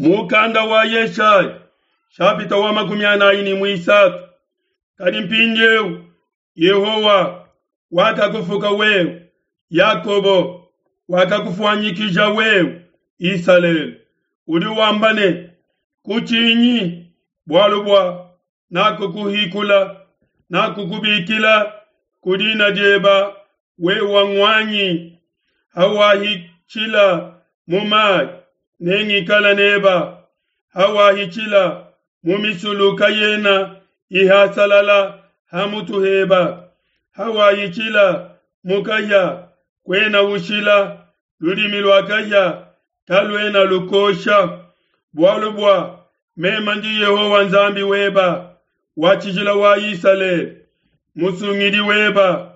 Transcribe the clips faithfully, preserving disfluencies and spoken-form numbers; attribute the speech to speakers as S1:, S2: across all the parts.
S1: Mukanda wa Yeshaya shapita wa makumi anayi ne muisatu. Kadi mpindieu Yehowa wakakufuka wewe, Yakobo, wakakufuanyikija wewe, Isalele. Udi wamba ne, kutshinyi, bualu bua nakukuhikula, nakukubikila ku dina dieba, wewe nguanyi. Hawahitshila mu mayi, nengikala neba, hawahitshila mu misulu kayena ihasalala ha mutu heba. Hawahitshila mu kahia, kuena ushila, ludimi lua kahia kaluena lukosha. Bualu bua meme ndi Yehowa Nzambi weba, wa tshijila wa Isalele, musungidi weba.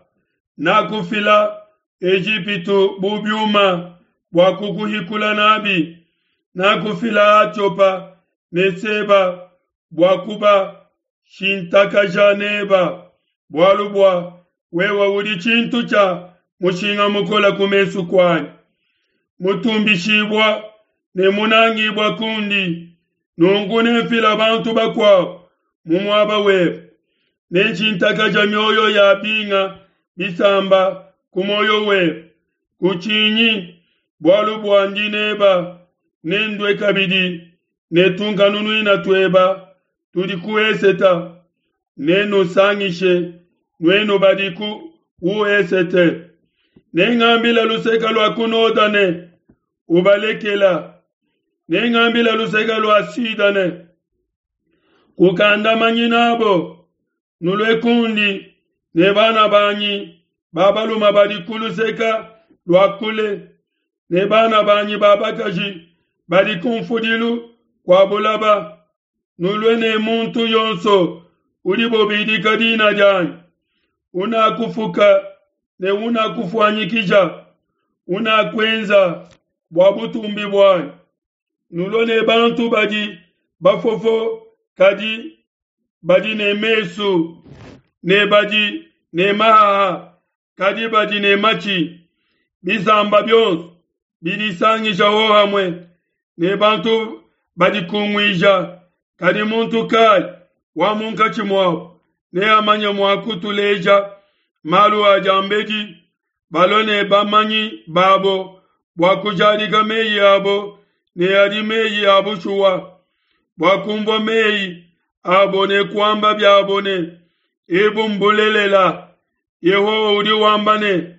S1: Nakufila Ejipitu bu biuma bua kukuhikula nabi, nakufila Atiopa ne Seba bua kubashintakaja neba, bualu bua wewe udi tshintu tshia mushinga mukole ku mesu kuanyi, mutumbishibua ne munangibua kundi. Nunku nemfila bantu bakuabo mu muaba webe, nenshintakaja mioyo ya binga bisamba ku muoyo webe. Kutshinyi, bualu bua ndi neba, nendue kabidi ne tunkanunuina tueba tudi ku esete, nenusangishe nuenu badi ku esete. Nengambila luseke lua ku node ne, ubalekela. Nengambila luseke lua sude ne, kukandamanyi nabo. Nulue kundi ne bana banyi ba balume badi ku luseke lua kule, ne bana banyi ba bakaji badi ku mfudilu kua bulaba. Nulue ne muntu yonso udibo bidika dina dianyi, unakufuka ne unakufuanyikija, unakuenza bua butumbi buanyi. Nulue ne bantu badi bafofo kadi badi ne mesu, ne badi ne mahaha kadi badi ne matshi. Bisamba bionso bidisangisha hohamue, ne bantu badikunguija, kadi muntu kayi wa munkatshi muabo neamanye mua kutuleja malu a diambedi? Balue ne bamanyi babo bua kujadika meyi abo ne adi meyi a bushuwa, bua kumvua meyi abo ne kuamba biabo ne, ebu mbulelela. Yehowa udi wamba ne,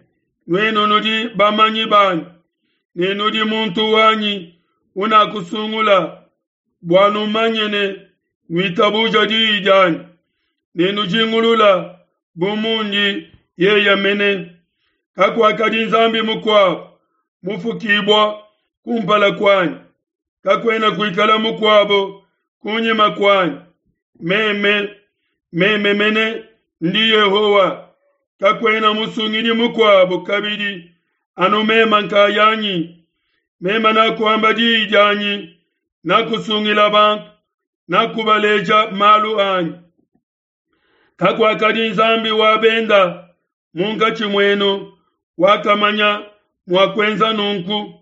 S1: nuenu nudi bamanyi banyi, ne nudi muntu wanyi unakusungula, bua numanye ne nuitabuja diyi dianyi, ne nujingulula bu mundi yeye mene. Kakuakadi nzambi mukuabo mufukibua kumpala kuanyi, kakuena kuikala mukuabo kunyima kuanyi. Meme, meme mene ndi Yehowa, kakuena musungidi mukuabo kabidi, anu meme nkayanyi. Meme nakuamba diyi dianyi, nakusungila bantu, nakubaleja malu anyi. Kakuakadi nzambi wa benda munkatshi muenu wakamanya mua kuenza nunku.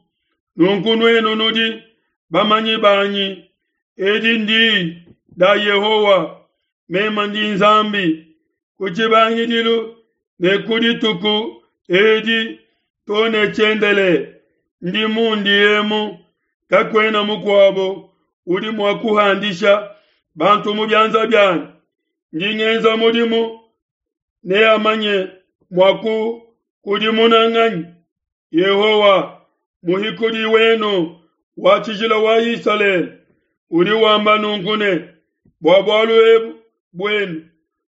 S1: Nunku nuenu nudi bamanyi banyi. Edi ndi da Yehowa, meme ndi Nzambi. Ku tshibangidilu ne ku dituku edi to ne tshiendelele, ndi mundi emu, kakuena mukuabo udi mua kuhandisha bantu mu bianza bianyi. Ndi ngenza mudimu, neamanye mua kukudimuna nganyi? Yehowa muhikudi wenu, wa tshijila wa Isalele, udi wamba nunku ne, bua bualu ebu buenu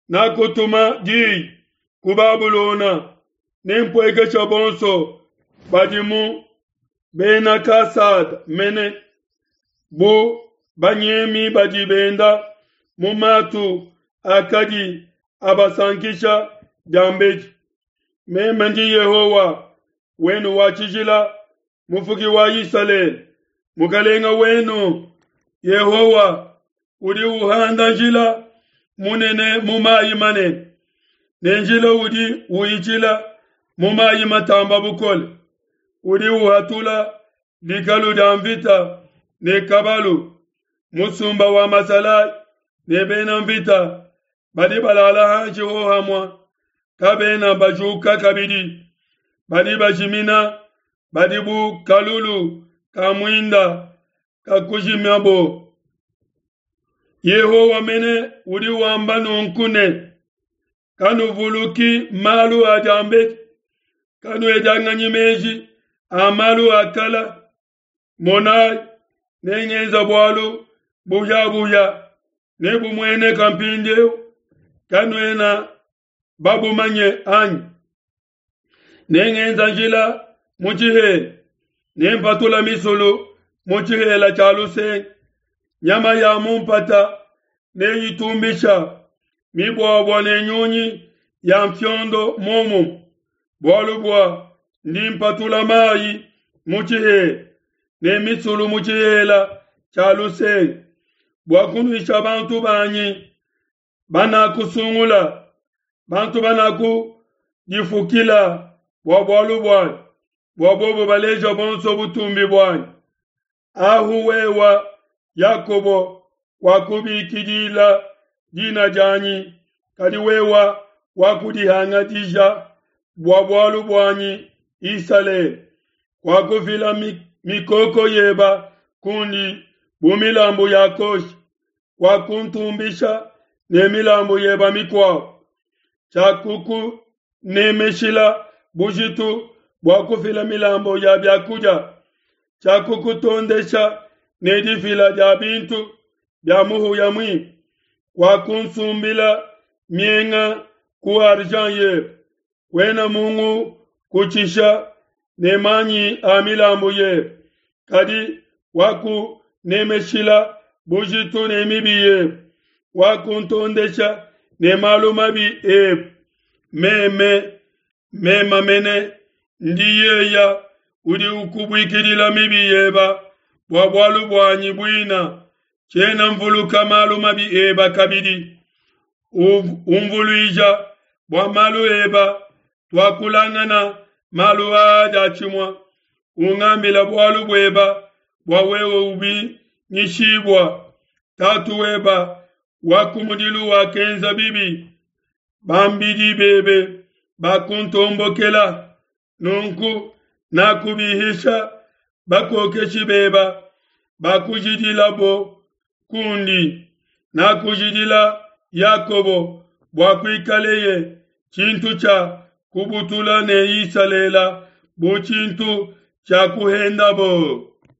S1: nakutuma diyi ku Babulona, nempuekesha bonso badi mu bena Kasada mene, bu banyemi badi benda mu matu akadi abasankisha diambedi. Meme ndi Yehowa wenu wa tshijila, mufuki wa Isalele, mukalenga wenu. Yehowa udi uhanda njila munene mu mayi manene, ne njila udi uhitshila mu mayi matamba bukole. Udi uhatula dikalu dia mvita ne kabalu, musumba wa masalayi ne bena mvita badi balala hanshi hohamue, kabena bajuka kabidi, badi bajimina, badi bu kalulu ka muinda kakujimabo. Yehowa mene udi wamba nunku ne, kanuvuluki malu a diambedi, kanuedianganyi meji a malu a kala. Monayi, nengenza bualu buyabuya, nebumueneka mpindieu, kanuena babumanye anyi? Nengenza njila mu tshihela, nempatula misulu mu tshihela tshia lusenga. Nyama ya mu mpata neyitumbisha, mibuabua ne nyunyi ya mfiondo muomumue, bualu bua ndi mpatula mayi mu tshihela ne misulu mu tshihela tshia lusenga, bua kunuisha bantu banyi banakusungula, bantu banakudifukila bua bualu buanyi, bua bobo baleja bonso butumbi buanyi. Ahu wewa Yakobo wakubikidila dina dianyi, kadi wewa wakudihangadija bua bualu buanyi Isalele, wakufila mikoko yeba kundi bu milambu ya kosha, wakuntumbisha ne milambu yeba mikuabo. Tshiakukunemeshila bujitu bua kufila milambu ya biakudia, tshiakukutondesha ne difila dia bintu bia muhuya muimpe, wakunsumbila mienga ku argent yebe, kuena mungukutshisha ne manyi a milambu yebe, kadi wakunemeshila bujitu ne mibi yebe, wakuntondesha ne malu mabi ebe. Meme, mema mene ndi yeya udi ukubuikidila mibi yeba bua bualu buanyi buina, tshiena mvuluka malu mabi eba kabidi. Umvuluija bua malu eba, tuakulangana malu aa diatshimue, ungambila bualu bueba bua wewe ubingishibua. Tatu weba wa kumudilu wakenza bibi, bambidi bebe bakuntombokela, nunku nakubihisha bakokeshi beba bakujidilabo kundi. Nakujidila Yakobo bua kuikaleye tshintu tshia kubutula ne Isalele bu tshintu tshia kuhendabo.